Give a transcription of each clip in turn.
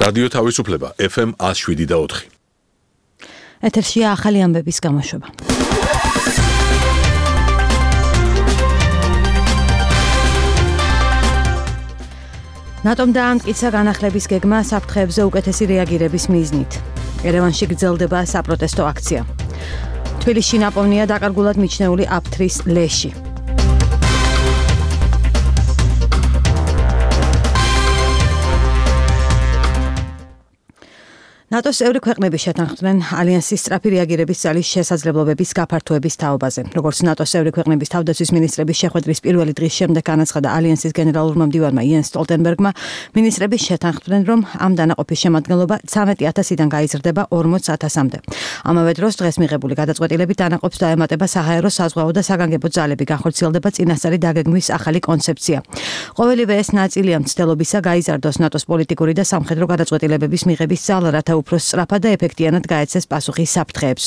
რადიო თავისუფლება FM 107.4. ეთერშია ახალი ამბების გამოშვება. ნატომ დაამტკიცა განახლების გეგმა საფრთხეებზე უკეთესი რეაგირების მიზნით. ერევანში გრძელდება საპროტესტო აქცია. თბილისში ნაპოვნია დაკარგულად მიჩნეული აფთრის ლეში. ნატოს წევრი ქვეყნები შეთანხმდნენ ალიანსის სწრაფი რეაგირების ძალის შესაძლებლობების გაფართოების თაობაზე. როგორც ნატოს წევრი ქვეყნების თავდაცვის მინისტრების შეხვედრის პირველი დღის შემდეგ განაცხადა ალიანსის გენერალურმა მდივანმა იენს სტოლტენბერგმა, მინისტრები შეთანხმდნენ, რომ ამ დანაყოფის შემადგენლობა 13,000-დან გაიზრდება 40,000-მდე. ამავე დროს დღეს მიღებული გადაწყვეტილებით დანაყოფს დაემატება საჰაერო, საზღვაო და საგანგებო ძალები, განხორციელდება წინასწარი დაგეგმვის ახალი კონცეფცია. ყოველივე ეს ნაწილია მცდელობისა გაიზარდოს ნატოს პოლიტიკური და სამხედრო გადაწყვეტილებების მიღების ძალა, რათა უფრო სწრაფად და ეფექტიანად გაეცეს პასუხი საფრთხეებს.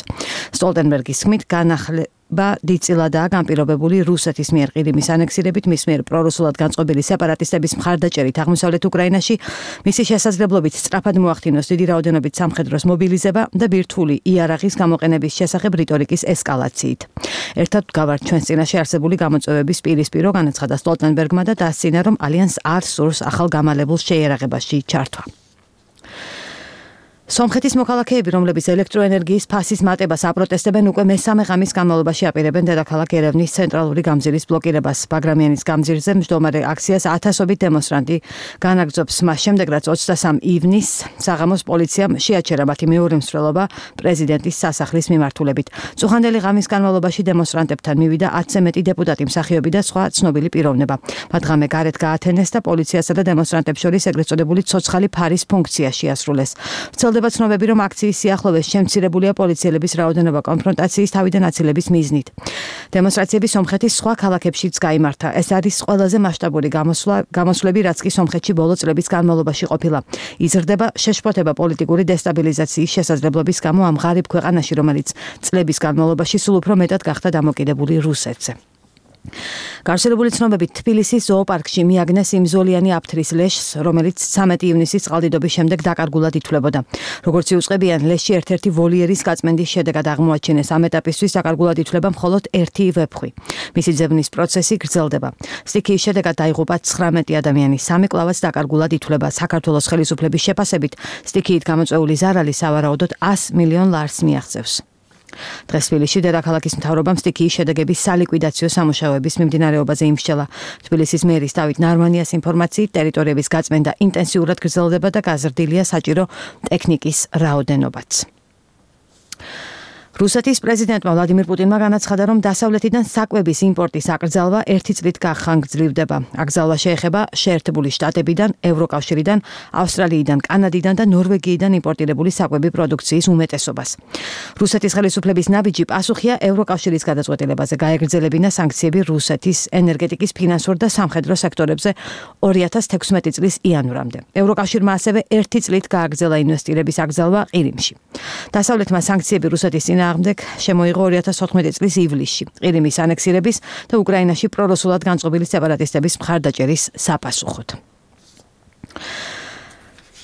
სტოლტენბერგის თქმით, განახლება დიდწილადაა განპირობებული რუსეთის მიერ ყირიმის ანექსირებით, მის მიერ პრორუსულად განწყობილი სეპარატისტების მხარდაჭერით აღმოსავლეთ უკრაინაში, მისი შესაძლებლობით სწრაფად მოახდინოს დიდი რაოდენობით სამხედროს მობილიზება და ბირთვული იარაღის გამოყენების შესახებ რიტორიკის ესკალაციით. ერთად გავართ ჩვენს წინაშე არსებული გამოწვევების პირისპირო, განაცხადა სტოლტენბერგმა და დასცინა, რომ ალიანსს არ სურს ახალ გამალებულ შეიარაღებაში ჩართვა. სომხეთის მოქალაქეები, რომლებიც ელექტროენერგიის ფასის მატებას აპროტესტებენ, უკვე მესამე ღამის განმავლობაში აპირებენ დედაქალაქ ერევნის ცენტრალური გამზირის ბლოკირებას. ბაგრამიანის გამზირზე მჯდომარე აქციას 1000-ობით დემონსტრანტი განაგრძობს. მას შემდეგ, რაც 23 ივნისს საღამოს პოლიციამ შეაჩერა მათი მეორე მსვლელობა პრეზიდენტის სასახლის მიმართულებით. წუხანდელი ღამის განმავლობაში დემონსტრანტებთან მივიდა 10-ზე მეტი დეპუტატი, მსახიობი და სხვა ცნობილი პიროვნება. მათ ღამე გარეთ გაათენეს და პოლიციასა და დემონსტრანტებს შორის ეგრეთ წოდებული ცოცხალი ფარის ფუნქცია შეასრულეს. ვრცელდება ცნობები, რომ აქციის სიახლოვეს შემცირებულია პოლიციელების რაოდენობა კონფრონტაციის თავიდან აცილების მიზნით. დემონსტრაციები სომხეთის სხვა ქალაქებშიც გაიმართა. ეს არის ყველაზე მასშტაბური გამოსვლები, რაც კი სომხეთში ბოლო წლების განმავლობაში ყოფილა. იზრდება შეშფოთება პოლიტიკური დესტაბილიზაციის შესაძლებლობის გამო ამ ღარიბ ქვეყანაში, რომელიც წლების განმავლობაში სულ უფრო მეტად გახდა დამოკიდებული რუსეთზე. გავრცელებული ცნობებით, თბილისის ზოოპარკში მიაგნეს იმზოლიანი აფთრის ლეშს, რომელიც 13 ივნისის წყალდიდობის შემდეგ დაკარგულად ითვლებოდა. როგორც იუწყებიან, ლეში ერთ-ერთი ვოლიერის გაწმენდის შედეგად აღმოაჩინეს. ამ ეტაპისთვის დაკარგულად ითვლება მხოლოდ ერთი ვეფხვი. მისი ძებნის პროცესი გრძელდება. სტიქიის შედეგად დაიღუპა 19 ადამიანი, 3 კლავაც დაკარგულად ითვლება. საქართველოს ხელისუფლების შეფასებით, სტიქიით გამოწვეული ზარალი სავარაუდოდ 100 მილიონ ლარს მიაღწევს. დღეს თბილისში დედაქალაქის მთავრობამ სტიქიის შედეგების სალიკვიდაციო სამუშაოების მიმდინარეობაზე იმსჯელა. თბილისის მერის დავით ნარმანიას ინფორმაციით, ტერიტორიების გაწმენდა ინტენსიურად გრძელდება და გაზრდილია საჭირო ტექნიკის რაოდენობაც. რუსეთის პრეზიდენტმა ვლადიმირ პუტინმა განაცხადა, რომ დასავლეთიდან საკვების იმპორტის აკრძალვა 1 წლით გახანგრძლივდება. აკრძალვა შეეხება შეერთებული შტატებიდან, ევროკავშირიდან, ავსტრალიიდან, კანადიდან და ნორვეგიიდან იმპორტირებული საკვები პროდუქციის უმეტესობას. რუსეთის ხელისუფლების ნაბიჯი პასუხია ევროკავშირის გადაწყვეტილებაზე გაეგრძელებინა სანქციები რუსეთის ენერგეტიკის, ფინანსურ და სამხედრო სექტორებზე 2016 წლის იანვრამდე. ევროკავშირმა ასევე 1 წლით გააგრძელა ინვესტირების აკრძალვა ყირიმში. დასავლეთმა სანქციები რუსეთის წინააღმდეგ შემოიღო 2014 წლის ივლისში, ყირიმის ანექსირების და უკრაინაში პრორუსულად განწყობილი სეპარატისტების მხარდაჭერის საპასუხოდ.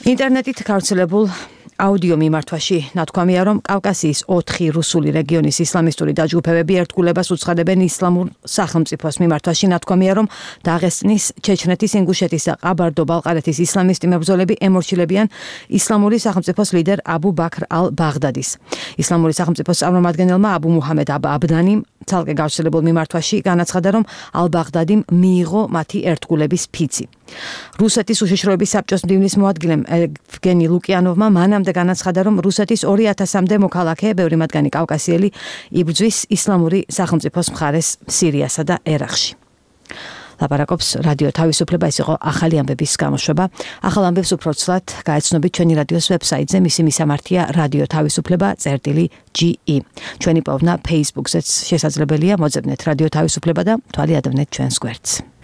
ინტერნეტით გავრცელებულ აუდიო მიმართვაში ნათქვამია, რომ კავკასიის 4 რუსული რეგიონის ისლამისტური დაჯგუფებები ერთგულებას უცხადებენ ისლამურ სახელმწიფოს მიმართვაში. ნათქვამია, რომ დაღესტნის, ჩეჩნეთის, ინგუშეთის და ყაბარდო-ბალყარეთის ისლამისტი მებრძოლები ემორჩილებიან ისლამური სახელმწიფოს ლიდერ აბუ ბაქრ ალ-ბაღდადის. ისლამური სახელმწიფოს წარმომადგენელმა აბუ მუჰამედ აბდანიმ ცალკე გავრცელებულ მიმართვაში განაცხადა, რომ ალ-ბაღდადიმ მიიღო მათი ერთგულების ფიცი. რუსეთის უშიშროების საბჭოს მდივნის მოადგილემ ევგენი ლუკიანოვმა მანამდე განაცხადა, რომ რუსეთის 2000-მდე მოქალაქე, ბევრი მათგანი კავკასიელი, იბრძვის ისლამური სახელმწიფოს მხარეს სირიასა და ერაყში. ლაპარაკობს რადიო თავისუფლება, ეს იყო ახალი ამბების გამოშვება. ახალ ამბებს უფრო ცვლად გაეცნობით ჩვენი რადიოს ვებსაიტზე, მისი მისამართია რადიო თავისუფლება.ge. ჩვენი პოვნა Facebook-ზეც შესაძლებელია, მოძებნეთ რადიო თავისუფლება და თვალი ადევნეთ ჩვენს გვერდს.